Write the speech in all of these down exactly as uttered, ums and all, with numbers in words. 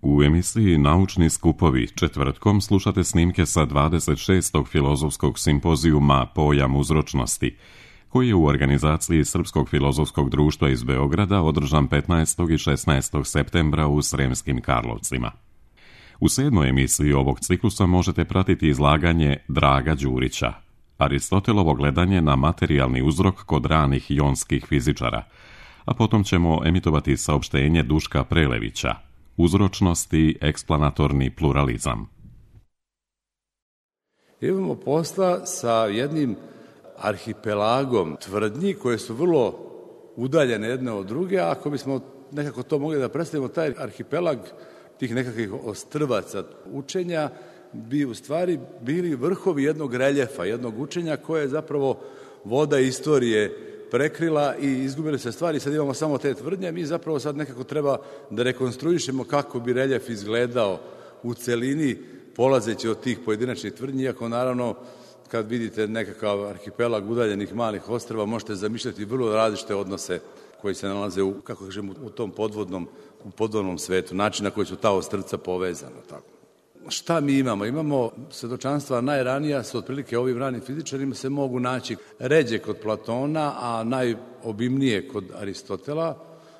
U emisiji Naučni skupovi četvrtkom slušate snimke sa dvadeset šestog filozofskog simpozijuma Pojam uzročnosti, koji je u organizaciji Srpskog filozofskog društva iz Beograda održan petnaestog i šesnaestog septembra u Sremskim Karlovcima. U sedmoj emisiji ovog ciklusa možete pratiti izlaganje Draga Đurića, Aristotelovo gledanje na materijalni uzrok kod ranih jonskih fizičara, a potom ćemo emitovati saopštenje Duška Prelevića, Uzročnost i eksplanatorni pluralizam. Imamo posla sa jednim arhipelagom tvrdnji koje su vrlo udaljene jedne od druge, a ako bismo nekako to mogli da predstavimo, taj arhipelag tih nekakvih ostrvaca učenja bi u stvari bili vrhovi jednog reljefa, jednog učenja koje je zapravo voda istorije prekrila i izgubili se stvari. Sad imamo samo te tvrdnje, mi zapravo sad nekako treba da rekonstruišemo kako bi reljef izgledao u celini, polazeći od tih pojedinačnih tvrdnji, iako naravno kad vidite nekakav arhipelag udaljenih malih ostrva, možete zamišljati vrlo različite odnose koji se nalaze u, kako kažem, u tom podvodnom, u podvodnom svetu, način na koji su ta ostrvca povezana. Tako. Šta mi imamo? Imamo svedočanstva najranija, su otprilike ovim ranim fizičarima se mogu naći ređe kod Platona, a najobimnije kod Aristotela,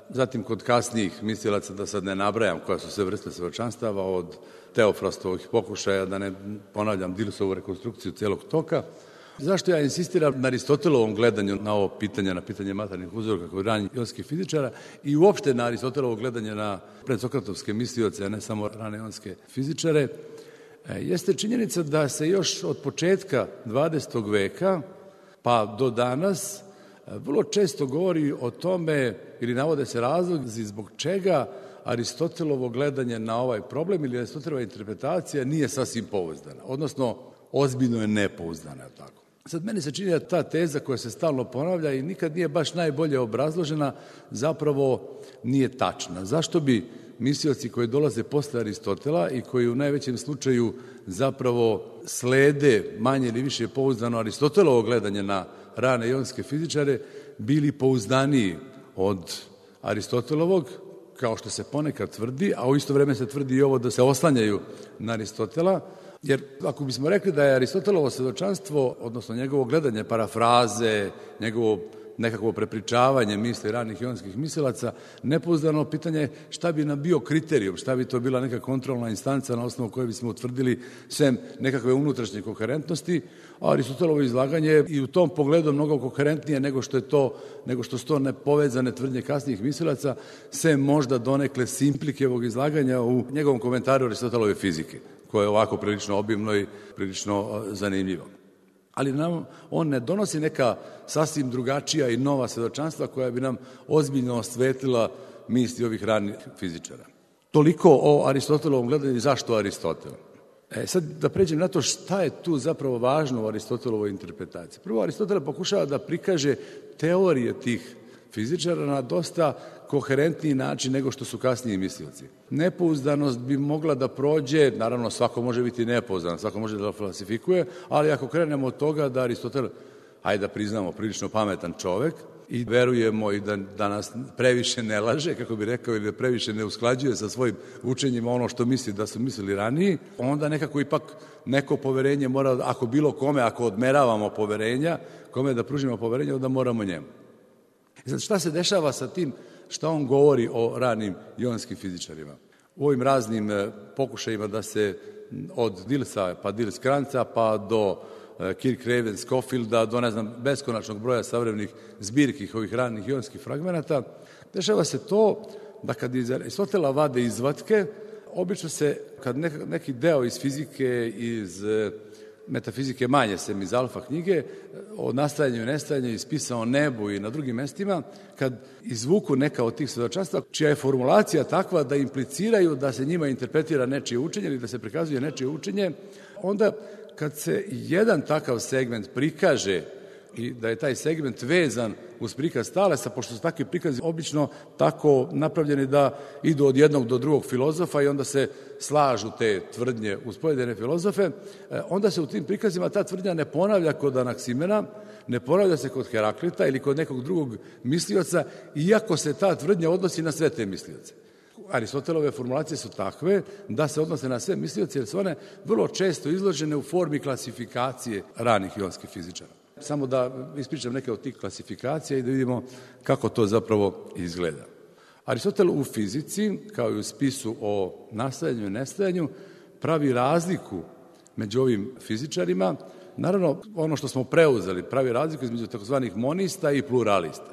zatim kod kasnijih mislilaca, da sad ne nabrajam koja su sve vrste svedočanstava, od Teofrastovih pokušaja, da ne ponavljam Dilsovu rekonstrukciju celog toka. Zašto ja insistiram na Aristotelovom gledanju na ovo pitanje, na pitanje materijalnih uzroka kod ranih jonskih fizičara i uopšte na Aristotelovo gledanje na predsokratovske mislioce, a ne samo rane jonske fizičare, jeste činjenica da se još od početka dvadesetog veka pa do danas vrlo često govori o tome ili navode se razlozi zbog čega Aristotelovo gledanje na ovaj problem ili Aristotelova interpretacija nije sasvim pouzdana, odnosno ozbiljno je nepouzdana. Tako. Sad meni se čini da ta teza koja se stalno ponavlja i nikad nije baš najbolje obrazložena, zapravo nije tačna. Zašto bi mislioci koji dolaze posle Aristotela i koji u najvećem slučaju zapravo slede manje ili više pouzdano Aristotelovo gledanje na rane jonske fizičare bili pouzdaniji od Aristotelovog, kao što se ponekad tvrdi, a u isto vreme se tvrdi i ovo da se oslanjaju na Aristotela, jer ako bismo rekli da je Aristotelovo svedočanstvo, odnosno njegovo gledanje, parafraze, njegovo nekakvo prepričavanje misli ranih jonskih mislilaca, nepouzdano pitanje šta bi nam bio kriterijum, šta bi to bila neka kontrolna instanca na osnovu koje bismo utvrdili sem nekakve unutrašnje koherentnosti, a Aristotelovo izlaganje je i u tom pogledu mnogo koherentnije nego što je to, nego što su to nepovezane tvrdnje kasnijih mislilaca, sem možda donekle Simplikevog izlaganja u njegovom komentaru Aristotelove fizike, koje je ovako prilično obimno i prilično zanimljivo. Ali nam on ne donosi neka sasvim drugačija i nova svedočanstva koja bi nam ozbiljno osvetlila misli ovih ranih fizičara. Toliko o Aristotelovom gledanju i zašto Aristotel. E, sad da pređem na to šta je tu zapravo važno u Aristotelovoj interpretaciji. Prvo, Aristotel pokušava da prikaže teorije tih fizičara na dosta koherentniji način nego što su kasniji mislioci. Nepouzdanost bi mogla da prođe, naravno svako može biti nepouzdan, svako može da falsifikuje, ali ako krenemo od toga da Aristotel, hajde da priznamo, prilično pametan čovek i verujemo i da, da nas previše ne laže, kako bi rekao, ili da previše ne usklađuje sa svojim učenjima ono što misli da su mislili raniji, onda nekako ipak neko poverenje mora, ako bilo kome, ako odmeravamo poverenja, kome da pružimo poverenje, onda moramo njemu. I sad šta se dešava sa tim šta on govori o ranim jonskim fizičarima? U ovim raznim pokušajima da se od Dilsa pa Dils Kranca pa do Kirk-Raven Scofielda do ne znam beskonačnog broja savremenih zbirki ovih ranih jonskih fragmenata, dešava se to da kad iz Aristotela vade izvatke, obično se kad neki deo iz fizike, iz metafizike manje sem iz alfa knjige, o nastajanju i nestajanju ispisa o nebu i na drugim mestima, kad izvuku neka od tih svedočanstva, čija je formulacija takva da impliciraju da se njima interpretira nečije učenje ili da se prikazuje nečije učenje, onda kad se jedan takav segment prikaže i da je taj segment vezan uz prikaz Talesa, pošto su takvi prikazi obično tako napravljeni da idu od jednog do drugog filozofa i onda se slažu te tvrdnje uz pojedine filozofe, onda se u tim prikazima ta tvrdnja ne ponavlja kod Anaksimena, ne ponavlja se kod Heraklita ili kod nekog drugog mislioca, iako se ta tvrdnja odnosi na sve te mislioce. Aristotelove formulacije su takve da se odnose na sve mislioce, jer su one vrlo često izložene u formi klasifikacije ranih ionskih fizičara. Samo da ispričam neke od tih klasifikacija i da vidimo kako to zapravo izgleda. Aristotel u fizici, kao i u spisu o nastajanju i nestajanju, pravi razliku među ovim fizičarima. Naravno, ono što smo preuzeli, pravi razliku između takozvanih monista i pluralista.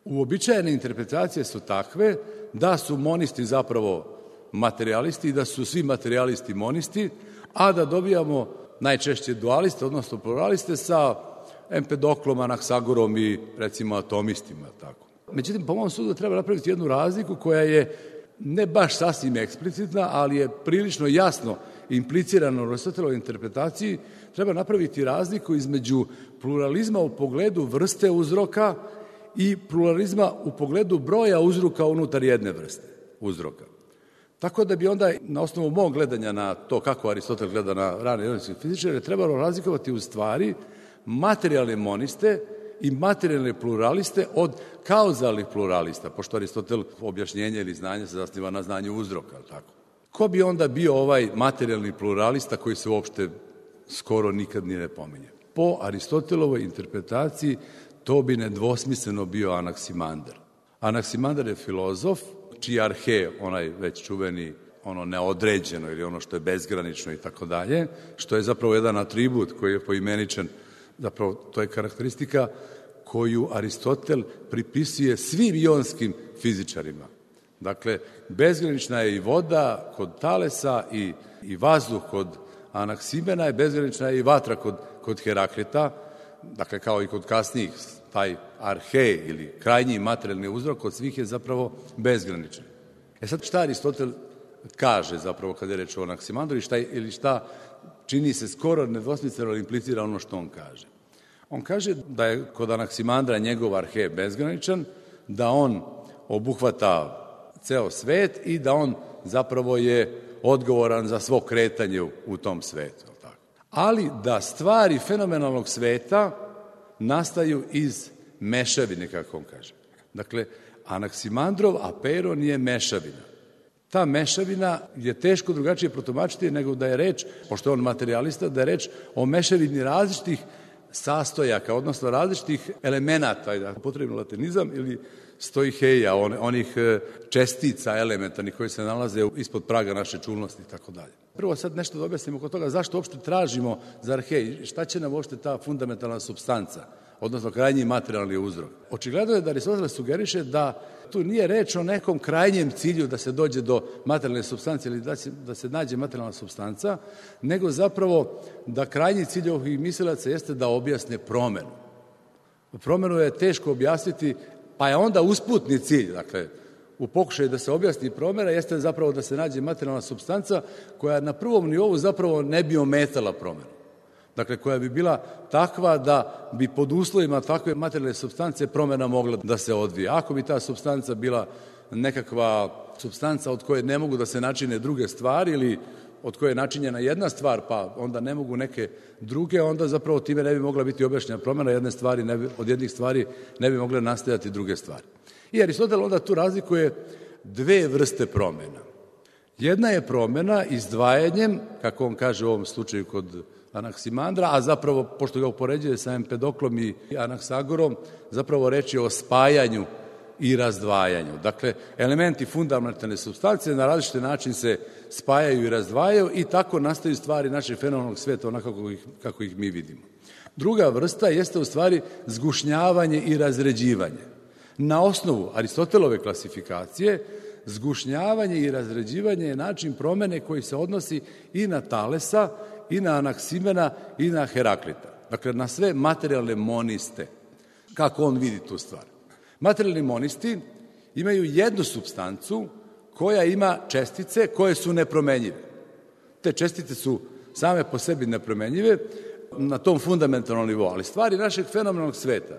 Uobičajene interpretacije su takve da su monisti zapravo materialisti i da su svi materialisti monisti, a da dobijamo najčešće dualiste, odnosno pluraliste sa Empedoklom, Anaksagorom i recimo atomistima. Tako. Međutim, po mom sudu treba napraviti jednu razliku koja je ne baš sasvim eksplicitna, ali je prilično jasno implicirano u Aristotelovoj interpretaciji. Treba napraviti razliku između pluralizma u pogledu vrste uzroka i pluralizma u pogledu broja uzroka unutar jedne vrste uzroka. Tako da bi onda, na osnovu mog gledanja na to kako Aristotel gleda na rane ionske fizičare, trebalo razlikovati u stvari materijalne moniste i materijalne pluraliste od kauzalnih pluralista, pošto Aristotel objašnjenje ili znanje se zasniva na znanju uzroka. Tako. Ko bi onda bio ovaj materijalni pluralista koji se uopšte skoro nikad ni ne pominje? Po Aristotelovoj interpretaciji to bi nedvosmisleno bio Anaksimandar. Anaksimandar je filozof, čiji arhe, onaj već čuveni, ono neodređeno ili ono što je bezgranično i tako dalje, što je zapravo jedan atribut koji je poimeničan, zapravo to je karakteristika koju Aristotel pripisuje svim ionskim fizičarima. Dakle, bezgranična je i voda kod Talesa i, i vazduh kod Anaksimena, je bezgranična je i vatra kod, kod Heraklita, dakle kao i kod kasnijih, taj arhe ili krajnji materijalni uzrok kod svih je zapravo bezgraničan. E sad šta Aristotel kaže zapravo kada je reč o Anaksimandru i šta, ili šta čini se skoro nedvosmisleno implicira ono što on kaže. On kaže da je kod Anaksimandra njegov arhe bezgraničan, da on obuhvata ceo svet i da on zapravo je odgovoran za svo kretanje u, u tom svetu. Tako. Ali da stvari fenomenalnog sveta nastaju iz mešavine, kako on kaže. Dakle, Anaksimandrov aperon je mešavina. Ta mešavina je teško drugačije protumačiti nego da je reč, pošto je on materijalista, da je reč o mešavini različitih sastojaka, odnosno različitih elemenata, da potrebno latinizam, ili stoiheja, on, onih čestica elementarnih koji se nalaze ispod praga naše čulnosti i tako dalje. Prvo sad nešto da objasnimo oko toga zašto uopšte tražimo za arhe, šta će nam uopšte ta fundamentalna supstanca, odnosno krajnji materijalni uzrok. Očigledno je da Aristotel sugeriše da tu nije reč o nekom krajnjem cilju da se dođe do materijalne supstance ili da se, da se nađe materijalna supstanca, nego zapravo da krajnji cilj ovih mislilaca jeste da objasne promenu. Promenu je teško objasniti, pa je onda usputni cilj, dakle, u pokušaju da se objasni promjena, jeste zapravo da se nađe materijalna supstanca koja na prvom nivou zapravo ne bi ometala promjenu. Dakle, koja bi bila takva da bi pod uslovima takve materijalne supstance promjena mogla da se odvije. Ako bi ta supstanca bila nekakva supstanca od koje ne mogu da se načine druge stvari ili od koje je načinjena jedna stvar, pa onda ne mogu neke druge, onda zapravo time ne bi mogla biti objašnjena promjena jedne stvari, ne bi, od jednih stvari ne bi mogle nastajati druge stvari. I Aristotel onda tu razlikuje dve vrste promjena. Jedna je promjena izdvajanjem, kako on kaže u ovom slučaju kod Anaksimandra, a zapravo, pošto ga upoređuje sa Empedoklom i Anaksagorom, zapravo reč je o spajanju i razdvajanju. Dakle, elementi fundamentalne supstance na različite način se spajaju i razdvajaju i tako nastaju stvari našeg fenomenalnog sveta onako kako ih, kako ih mi vidimo. Druga vrsta jeste u stvari zgušnjavanje i razređivanje. Na osnovu Aristotelove klasifikacije, zgušnjavanje i razređivanje je način promene koji se odnosi i na Talesa, i na Anaksimena, i na Heraklita. Dakle, na sve materijalne moniste. Kako on vidi tu stvar? Materijalni monisti imaju jednu supstancu koja ima čestice koje su nepromenjive. Te čestice su same po sebi nepromenjive na tom fundamentalnom nivou, ali stvari našeg fenomenalnog sveta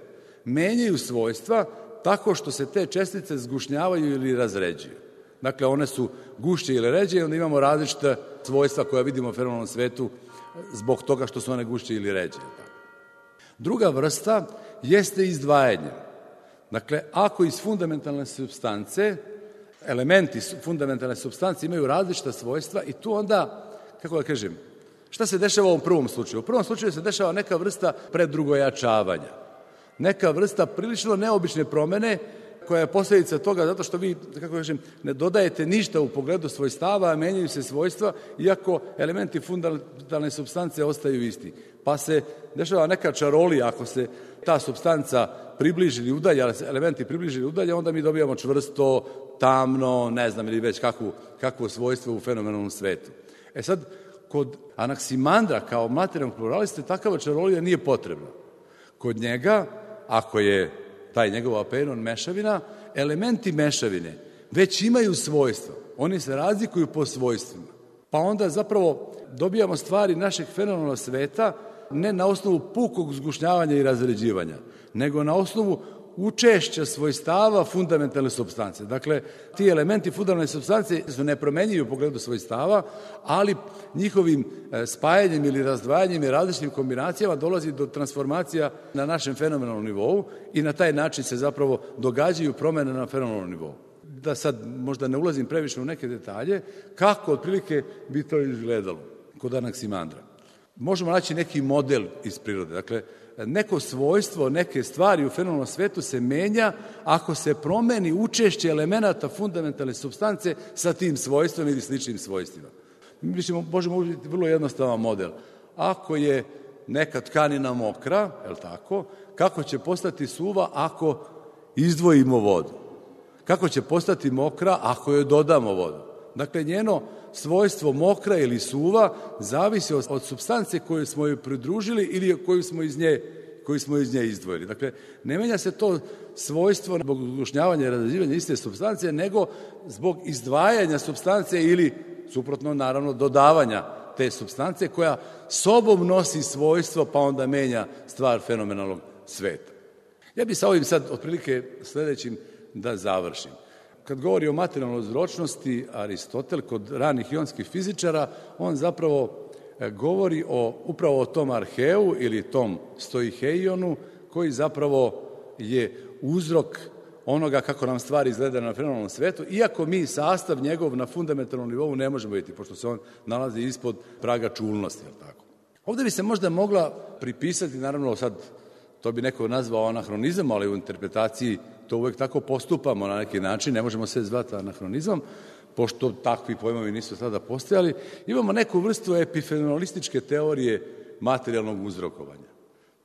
menjaju svojstva tako što se te čestice zgušnjavaju ili razređuju. Dakle, one su gušće ili ređe i onda imamo različite svojstva koja vidimo u fenomenalnom svetu zbog toga što su one gušće ili ređe. Druga vrsta jeste izdvajanje. Dakle, ako iz fundamentalne supstance elementi, fundamentalne supstance imaju različita svojstva i tu onda, kako da kažem, šta se dešava u ovom prvom slučaju? U prvom slučaju se dešava neka vrsta predrugojačavanja, neka vrsta prilično neobične promene koja je posljedica toga zato što vi, kako kažem, ne dodajete ništa u pogledu svojstava, a menjaju se svojstva, iako elementi fundamentalne supstance ostaju isti. Pa se dešava neka čarolija, ako se ta supstanca približi ili udalja, elementi približi ili udalja, onda mi dobijamo čvrsto, tamno, ne znam, ili već kakvu, kakvo svojstvo u fenomenalnom svetu. E sad, kod Anaksimandra, kao materijalnog pluraliste, takava čarolija nije potrebna. Kod njega, ako je taj njegov apeiron mešavina, elementi mešavine već imaju svojstva. Oni se razlikuju po svojstvima. Pa onda zapravo dobijamo stvari našeg fenomenalnog sveta ne na osnovu pukog zgušnjavanja i razređivanja, nego na osnovu učešća svojstava fundamentalne supstance. Dakle, ti elementi fundamentalne supstance su nepromenjivi u pogledu svojstava, ali njihovim spajanjem ili razdvajanjem i različitim kombinacijama dolazi do transformacija na našem fenomenalnom nivou i na taj način se zapravo događaju promene na fenomenalnom nivou. Da sad možda ne ulazim previše u neke detalje, kako otprilike bi to izgledalo kod Anaksimandra. Možemo naći neki model iz prirode. Dakle, neko svojstvo, neke stvari u fenomenalnom svetu se menja ako se promeni učešće elemenata fundamentalne supstance sa tim svojstvom ili sličnim svojstvima. Mi možemo uzeti vrlo jednostavan model. Ako je neka tkanina mokra, je li tako, kako će postati suva ako izdvojimo vodu? Kako će postati mokra ako joj dodamo vodu? Dakle, njeno svojstvo mokra ili suva zavisi od, od supstance koju smo joj pridružili ili koju smo iz nje, koju smo iz nje izdvojili. Dakle, ne menja se to svojstvo zbog zgušnjavanja i razređivanja iste supstance, nego zbog izdvajanja supstance ili, suprotno, naravno, dodavanja te supstance koja sobom nosi svojstvo pa onda menja stvar fenomenalnog sveta. Ja bih sa ovim sad otprilike sledećim da završim. Kad govori o materijalnoj uzročnosti, Aristotel, kod ranih ionskih fizičara, on zapravo govori o, upravo o tom arheu ili tom stoiheionu, koji zapravo je uzrok onoga kako nam stvari izgleda na fenomenalnom svetu, iako mi sastav njegov na fundamentalnom nivou ne možemo vidjeti, pošto se on nalazi ispod praga čulnosti. Tako. Ovde bi se možda mogla pripisati, naravno sad to bi neko nazvao anahronizam, ali u interpretaciji to uvek tako postupamo na neki način, ne možemo sve zvati anahronizmom, pošto takvi pojmovi nisu tada postojali. Imamo neku vrstu epifenomenalističke teorije materijalnog uzrokovanja.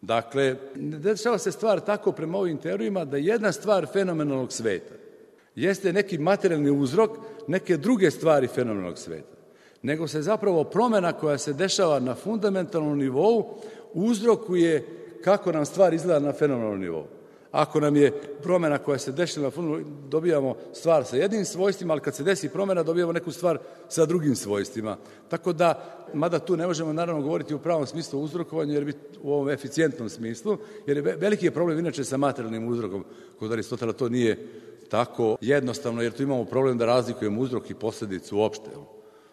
Dakle, dešava se stvar tako prema ovim teorijama da jedna stvar fenomenalnog sveta jeste neki materijalni uzrok neke druge stvari fenomenalnog sveta, nego se zapravo promena koja se dešava na fundamentalnom nivou uzrokuje kako nam stvar izgleda na fenomenalnom nivou. Ako nam je promena koja se dešava na fundamentalnom nivou, dobijamo stvar sa jednim svojstvima, ali kad se desi promena, dobijamo neku stvar sa drugim svojstvima. Tako da, mada tu ne možemo naravno govoriti u pravom smislu o uzrokovanju, jer bi u ovom eficijentnom smislu, jer je veliki je problem inače sa materijalnim uzrokom. Kod Aristotela to nije tako jednostavno, jer tu imamo problem da razlikujemo uzrok i posledicu uopšte.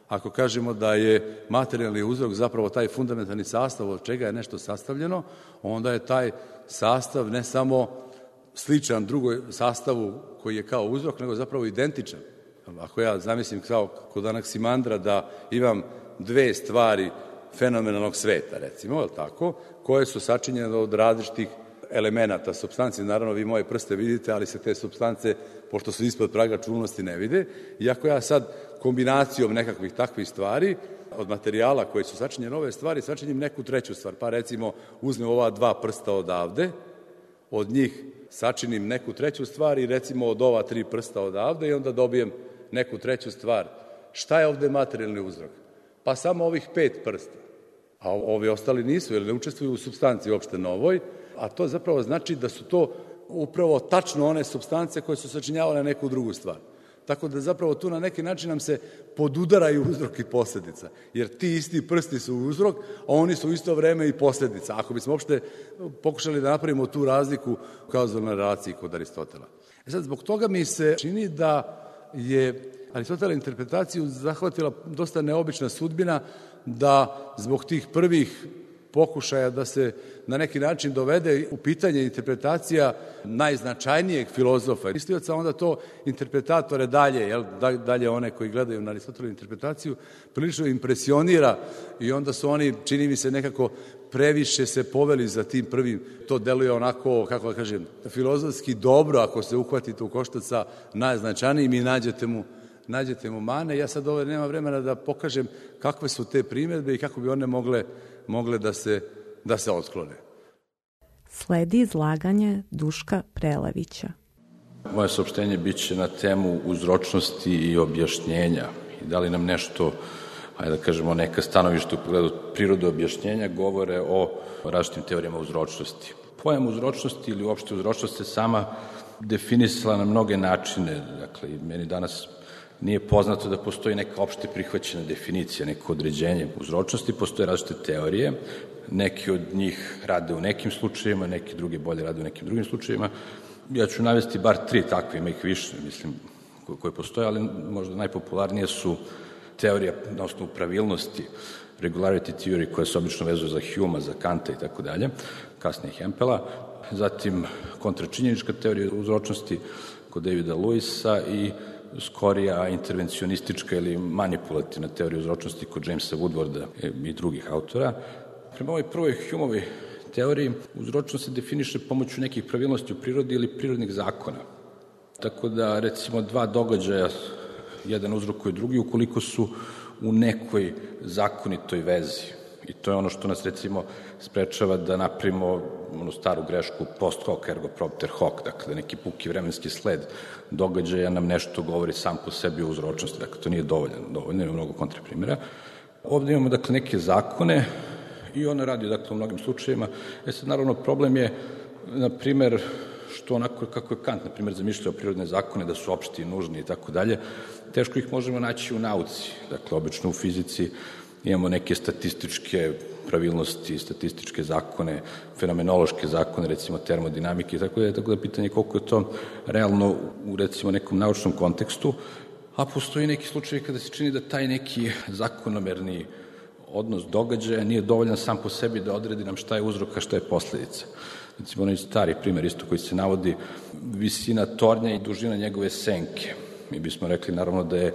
Ako kažemo da je materijalni uzrok zapravo taj fundamentalni sastav od čega je nešto sastavljeno, onda je taj sastav ne samo sličan drugoj sastavu koji je kao uzrok, nego zapravo identičan. Ako ja zamislim kao kod Anaksimandra da imam dve stvari fenomenalnog sveta, recimo, tako, koje su sačinjene od različitih elemenata, supstanci, naravno vi moje prste vidite, ali se te supstance, pošto su ispod praga čulnosti, ne vide. I ako ja sad kombinacijom nekakvih takvih stvari, od materijala koji su sačinjene ove stvari, sačinjem neku treću stvar, pa recimo uzmem ova dva prsta odavde, od njih sačinim neku treću stvar i recimo od ova tri prsta odavde i onda dobijem neku treću stvar. Šta je ovde materijalni uzrok? Pa samo ovih pet prsta. A ovi ostali nisu, jer ne učestvuju u supstanciji uopšte novoj, a to zapravo znači da su to upravo tačno one supstance koje su sačinjavale neku drugu stvar. Tako da zapravo tu na neki način nam se podudaraju uzrok i posljedica, jer ti isti prsti su uzrok, a oni su u isto vreme i posljedica. Ako bismo uopšte pokušali da napravimo tu razliku u kauzalnoj relaciji kod Aristotela. E sad, zbog toga mi se čini da je Aristotela interpretaciju zahvatila dosta neobična sudbina, da zbog tih prvih pokušaja da se na neki način dovede u pitanje interpretacija najznačajnijeg filozofa. Mislioca onda to interpretatore dalje, jel, dalje one koji gledaju na Aristotelovu interpretaciju, prilično impresionira i onda su oni, čini mi se, nekako previše se poveli za tim prvim. To deluje onako, kako da kažem, filozofski dobro ako se uhvatite u koštac sa najznačajnijim i nađete mu nađete mu mane. Ja sad ovdje nema vremena da pokažem kakve su te primjedbe i kako bi one mogle, mogle da se, da se otklone. Sledi izlaganje Duška Prelevića. Moje saopštenje biće na temu uzročnosti i objašnjenja. I da li nam nešto, ajde da kažemo, neka stanovišta u pogledu prirode objašnjenja govore o različitim teorijama uzročnosti. Pojam uzročnosti ili uopšte uzročnost se sama definisala na mnoge načine. Dakle, meni danas nije poznato da postoji neka opšte prihvaćena definicija, neko određenje uzročnosti, postoje različite teorije, neki od njih rade u nekim slučajevima, neki drugi bolje rade u nekim drugim slučajevima. Ja ću navesti bar tri takve, ima ih više, mislim, koje postoje, ali možda najpopularnije su teorija na osnovu pravilnosti, regularity theory, koja se obično vezuje za Humea, za Kanta i tako dalje, kasnije Hempela, zatim kontračinjenička teorija uzročnosti kod Davida Lewisa i skorija intervencionistička ili manipulativna teorija uzročnosti kod Jamesa Woodwarda i drugih autora. Prema ovoj prvoj Humeovoj teoriji uzročnost se definiše pomoću nekih pravilnosti u prirodi ili prirodnih zakona. Tako da, recimo, dva događaja, jedan uzrokuje drugi, ukoliko su u nekoj zakonitoj vezi. I to je ono što nas, recimo, sprečava da napravimo onu staru grešku post hoc ergo propter hoc, dakle, neki puki vremenski sled događaja nam nešto govori sam po sebi o uzročnosti, dakle, to nije dovoljno, dovoljno, ima mnogo kontraprimjera. Ovde imamo, dakle, neke zakone i ono radi, dakle, u mnogim slučajevima. E sad, naravno, problem je, na primer, što onako kako je Kant, na primer, zamišljao prirodne zakone, da su opšti i nužni i tako dalje, teško ih možemo naći u nauci. Dakle, obično u fizici imamo neke statističke pravilnosti, statističke zakone, fenomenološke zakone, recimo termodinamike i tako da je tako da pitanje koliko je to realno u, recimo, nekom naučnom kontekstu, a postoji neki slučaj kada se čini da taj neki zakonomerni odnos događaja nije dovoljan sam po sebi da odredi nam šta je uzrok, a šta je posledica. Recimo, onaj stari primer isto koji se navodi, visina tornja i dužina njegove senke. Mi bismo rekli, naravno, da je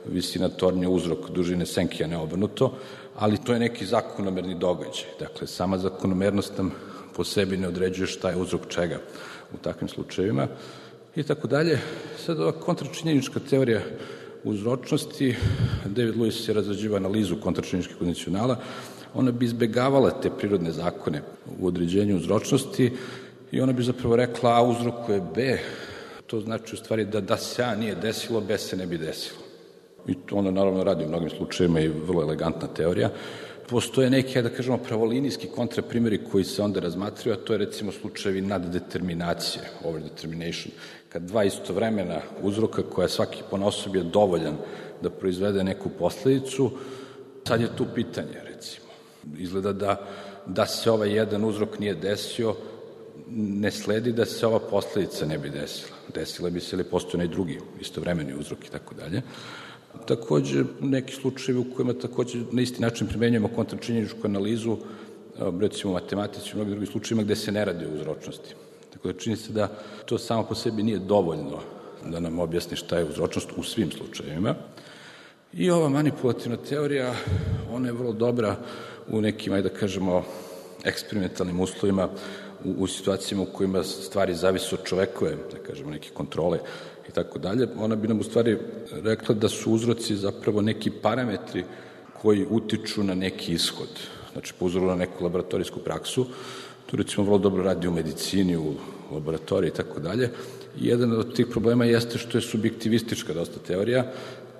visina tornja uzrok dužine senke, a ne obrnuto, ali to je neki zakonomerni događaj. Dakle, sama zakonomernost nam po sebi ne određuje šta je uzrok čega u takvim slučajevima i tako dalje. Sad, ova kontračinjenička teorija uzročnosti, David Lewis je razrađivao analizu kontračinjeničkih kondicionala, ona bi izbegavala te prirodne zakone u određenju uzročnosti i ona bi zapravo rekla A uzrokuje B, to znači u stvari da da se A nije desilo, B se ne bi desilo. I to ono naravno radi u mnogim slučajevima i vrlo elegantna teorija. Postoje neki, da kažemo, pravolinijski kontraprimjeri koji se onda razmatraju, a to je recimo slučajevi naddeterminacije, overdetermination, kad dva istovremena uzroka koja svaki ponaosob je dovoljan da proizvede neku posledicu, sad je tu pitanje, recimo. Izgleda da, da se ovaj jedan uzrok nije desio, ne sledi da se ova posledica ne bi desila. Desila bi se ili postoji onaj drugi istovremeni uzrok i tako dalje. Takođe, neki slučajevi u kojima takođe na isti način primenjujemo kontračinjeničku analizu, recimo u matematici i u mnogim drugim slučajevima gde se ne radi o uzročnosti. Tako da čini se da to samo po sebi nije dovoljno da nam objasni šta je uzročnost u svim slučajevima. I ova manipulativna teorija, ona je vrlo dobra u nekim, ajde da kažemo, eksperimentalnim uslovima, u, u situacijama u kojima stvari zavise od čovekove, da kažemo, neke kontrole i tako dalje. Ona bi nam u stvari rekla da su uzroci zapravo neki parametri koji utiču na neki ishod. Znači, po uzoru na neku laboratorijsku praksu, to recimo vrlo dobro radi u medicini, u laboratoriji i tako dalje. I jedan od tih problema jeste što je subjektivistička dosta teorija,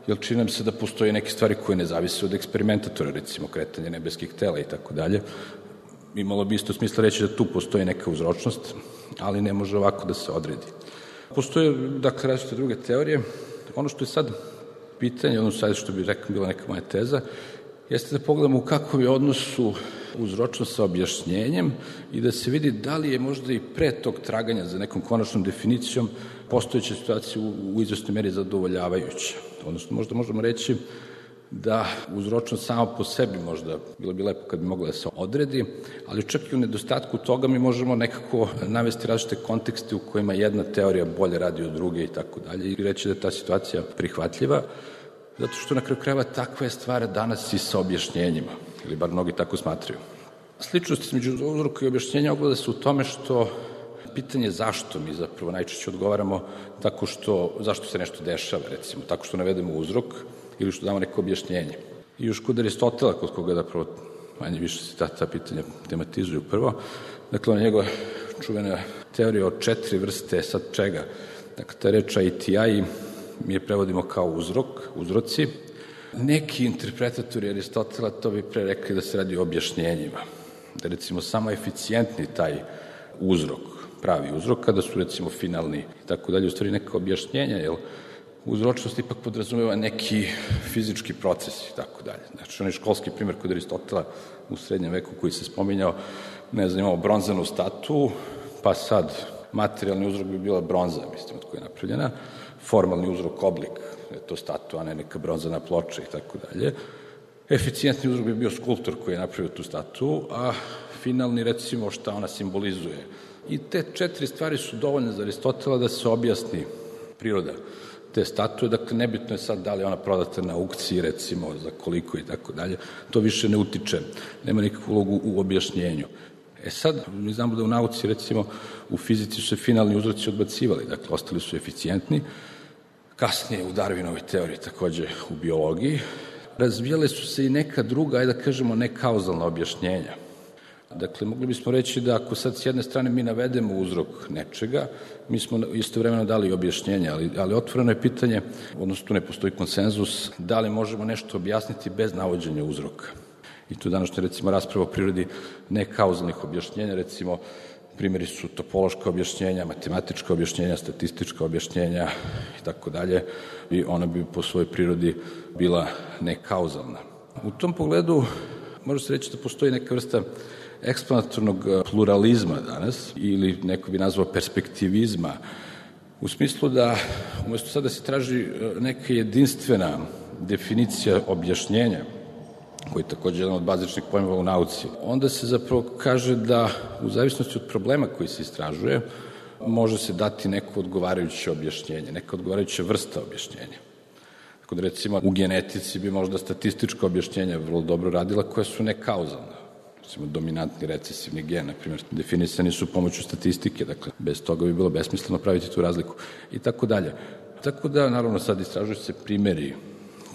jer čini nam se da postoje neke stvari koje ne zavise od eksperimentatora, recimo kretanje nebeskih tela i tako dalje. Imalo bi isto smisla reći da tu postoji neka uzročnost, ali ne može ovako da se odredi. Postoje, dakle, različite druge teorije. Ono što je sad pitanje, ono sad što bi rekao bila neka moja teza, jeste da pogledamo u kakvom je odnosu uzročnost sa objašnjenjem i da se vidi da li je možda i pre tog traganja za nekom konačnom definicijom postojeća situacija u, u izvesnoj meri zadovoljavajuća. Odnosno, možda možemo reći da uzročnost samo po sebi možda, bilo bi lepo kad bi mogla da se odredi, ali čak i u nedostatku toga mi možemo nekako navesti različite kontekste u kojima jedna teorija bolje radi od druge i tako dalje i reći da je ta situacija prihvatljiva, zato što na kraju krajeva takva je stvar danas i sa objašnjenjima, ili bar mnogi tako smatraju. Sličnost između uzroka i objašnjenja ogleda se u tome što pitanje zašto mi zapravo najčešće odgovaramo tako što, zašto se nešto dešava, recimo, tako što navedemo uzrok ili što damo neko objašnjenje. I još kod Aristotela, kod koga zapravo manje više se ta, ta pitanja tematizuju prvo, dakle, ona njegova čuvena teorija o četiri vrste, sad čega? Dakle, ta reč I T I mi je prevodimo kao uzrok, uzroci. Neki interpretatori Aristotela to bi pre rekli da se radi o objašnjenjima. Da recimo samo eficijentni taj uzrok, pravi uzrok, kada su recimo finalni i tako dalje, u stvari neka objašnjenja, jer uzročnost ipak podrazumeva neki fizički proces i tako dalje. Znači, onaj školski primjer kod Aristotela u srednjem veku koji se spominjao, ne znam, imamo bronzanu statu, pa sad materijalni uzrok bi bila bronza, mislim, od koja je napravljena, formalni uzrok oblik, je to statua, a ne neka bronzana ploča i tako dalje. Eficijentni uzrok bi bio skulptor koji je napravio tu statu, a finalni, recimo, šta ona simbolizuje. I te četiri stvari su dovoljne za Aristotela da se objasni priroda te statue, dakle, nebitno je sad da li ona prodata na aukciji, recimo, za koliko i tako dalje, to više ne utiče, nema nikakvu ulogu u objašnjenju. E sad, mi znamo da u nauci, recimo, u fizici su se finalni uzroci odbacivali, dakle, ostali su eficijentni, kasnije u Darwinovoj teoriji, takođe u biologiji, razvijale su se i neka druga, ajde da kažemo, nekauzalna objašnjenja. Dakle, mogli bismo reći da ako sad s jedne strane mi navedemo uzrok nečega, mi smo istovremeno dali objašnjenje, ali, ali otvoreno je pitanje, odnosno tu ne postoji konsenzus, da li možemo nešto objasniti bez navođenja uzroka. I tu današnja, recimo, rasprava o prirodi nekauzalnih objašnjenja, recimo, primjeri su topološka objašnjenja, matematička objašnjenja, statistička objašnjenja i tako dalje, i ona bi po svojoj prirodi bila nekauzalna. U tom pogledu može se reći da postoji neka vrsta eksplanatornog pluralizma danas, ili neko bi nazvao perspektivizma, u smislu da umesto sada se traži neka jedinstvena definicija objašnjenja, koji je takođe jedan od bazičnih pojmova u nauci, onda se zapravo kaže da u zavisnosti od problema koji se istražuje, može se dati neko odgovarajuće objašnjenje, neka odgovarajuća vrsta objašnjenja. Tako da, recimo, u genetici bi možda statistička objašnjenja vrlo dobro radila, koja su nekauzalna. Recimo, dominantni recesivni gen, na primjer, definisani su pomoću statistike, dakle, bez toga bi bilo besmisleno praviti tu razliku i tako dalje. Tako da, naravno, sad istražuju se primeri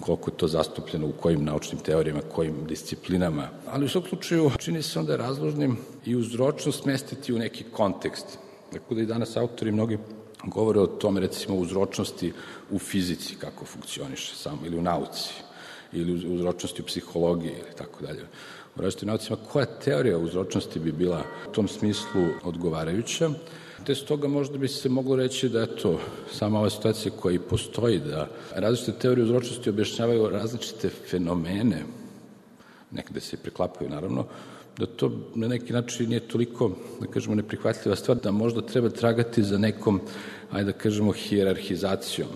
koliko je to zastupljeno u kojim naučnim teorijama, kojim disciplinama, ali u svakom slučaju čini se onda razložnim i uzročnost smestiti u neki kontekst. Tako da i danas autori mnogi govore o tome, recimo, uzročnosti u fizici, kako funkcioniše samo, ili u nauci, ili uzročnosti u psihologiji, ili tako dalje. U različitim naucima, koja teorija uzročnosti bi bila u tom smislu odgovarajuća, te stoga možda bi se moglo reći da je to sama ova situacija koja i postoji, da različite teorije uzročnosti objašnjavaju različite fenomene, nekde se preklapaju naravno, da to na neki način nije toliko, da kažemo, neprihvatljiva stvar, da možda treba tragati za nekom, ajde da kažemo, hijerarhizacijom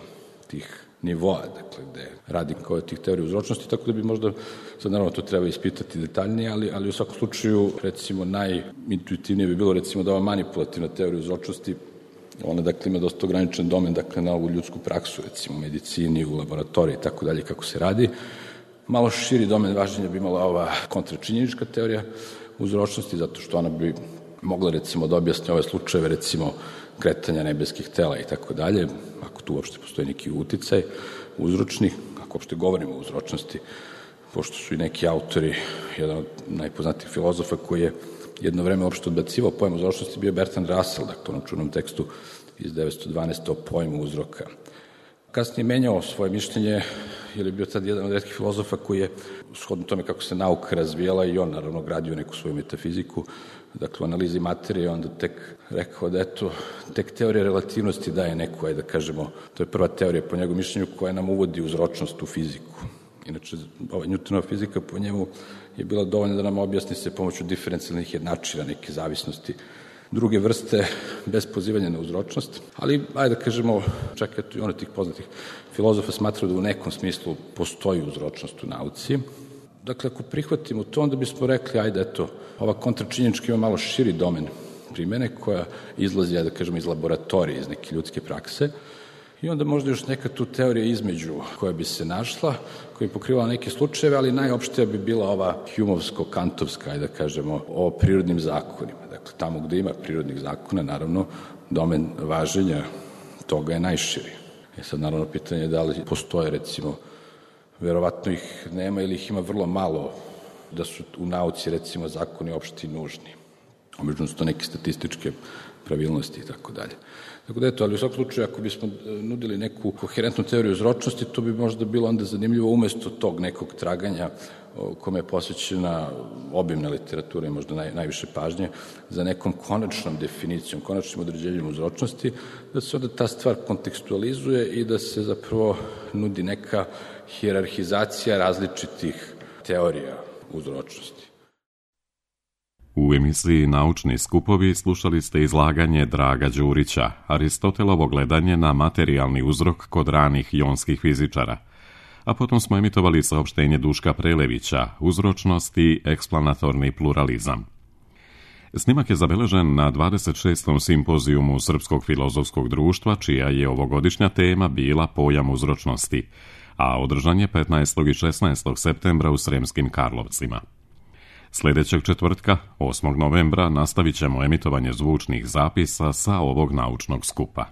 tih nivoa, dakle, gde radi kao tih teorija uzročnosti, tako da bi možda, sad naravno to treba ispitati detaljnije, ali, ali u svakom slučaju, recimo, najintuitivnije bi bilo, recimo, da ova manipulativna teorija uzročnosti, ona, dakle, ima dosta ograničen domen, dakle, na ovu ljudsku praksu, recimo, u medicini, u laboratoriji, tako dalje, kako se radi. Malo širi domen važenja bi imala ova kontračinjenička teorija uzročnosti, zato što ona bi mogla, recimo, da objasni ove slučajeve, recimo, kretanja nebeskih tela i tako dalje, ako tu uopšte postoji neki uticaj uzročni, ako uopšte govorimo o uzročnosti, pošto su i neki autori, jedan od najpoznatijih filozofa koji je jedno vreme uopšte odbacivao pojam uzročnosti, bio Bertrand Russell, dakle, u onom čuvenom tekstu iz devetsto dvanaeste. o pojmu uzroka. Kasnije menjao svoje mišljenje, jer je bio tad jedan od retkih filozofa koji je, shodno tome kako se nauka razvijala, i on naravno gradio neku svoju metafiziku, dakle, u analizi materije, onda tek rekao da, eto, tek teorija relativnosti daje neku, ajde da kažemo, to je prva teorija po njegovom mišljenju koja nam uvodi uzročnost u fiziku. Inače, ova Newtonova fizika po njemu je bila dovoljna da nam objasni se pomoću diferencijalnih jednačina, neke zavisnosti druge vrste bez pozivanja na uzročnost, ali, ajde da kažemo, čak i one tih poznatih filozofa smatraju da u nekom smislu postoji uzročnost u nauci. Dakle, ako prihvatimo to, onda bismo rekli, ajde, eto, ova kontračinjenička ima malo širi domen primene koja izlazi, ajde da kažemo, iz laboratorije, iz neke ljudske prakse, i onda možda još neka tu teorija između koja bi se našla, koja bi pokrivala neke slučajeve, ali najopštija bi bila ova humovsko-kantovska, ajde da kažemo, o prirodnim zakonima. Dakle, tamo gde ima prirodnih zakona, naravno, domen važenja toga je najširi. E sad, naravno, pitanje je da li postoje, recimo, verovatno ih nema ili ih ima vrlo malo, da su u nauci, recimo, zakoni opšti nužni. Obično su to neke statističke pravilnosti i tako dalje. Tako da eto, ali u svakom slučaju, ako bismo nudili neku koherentnu teoriju uzročnosti, to bi možda bilo onda zanimljivo umesto tog nekog traganja kome je posvećena obimna literatura i možda naj, najviše pažnje za nekom konačnom definicijom, konačnim određenjem uzročnosti, da se onda ta stvar kontekstualizuje i da se zapravo nudi neka hijerarhizacija različitih teorija uzročnosti. U emisiji Naučni skupovi slušali ste izlaganje Draga Đurića, Aristotelovo gledanje na materijalni uzrok kod ranih jonskih fizičara, a potom smo emitovali saopštenje Duška Prelevića, uzročnost i eksplanatorni pluralizam. Snimak je zabeležen na dvadeset šestom simpozijumu Srpskog filozofskog društva, čija je ovogodišnja tema bila pojam uzročnosti, a održan je petnaestog i šesnaestog septembra u Sremskim Karlovcima. Sljedećeg četvrtka, osmog novembra, nastavit ćemo emitovanje zvučnih zapisa sa ovog naučnog skupa.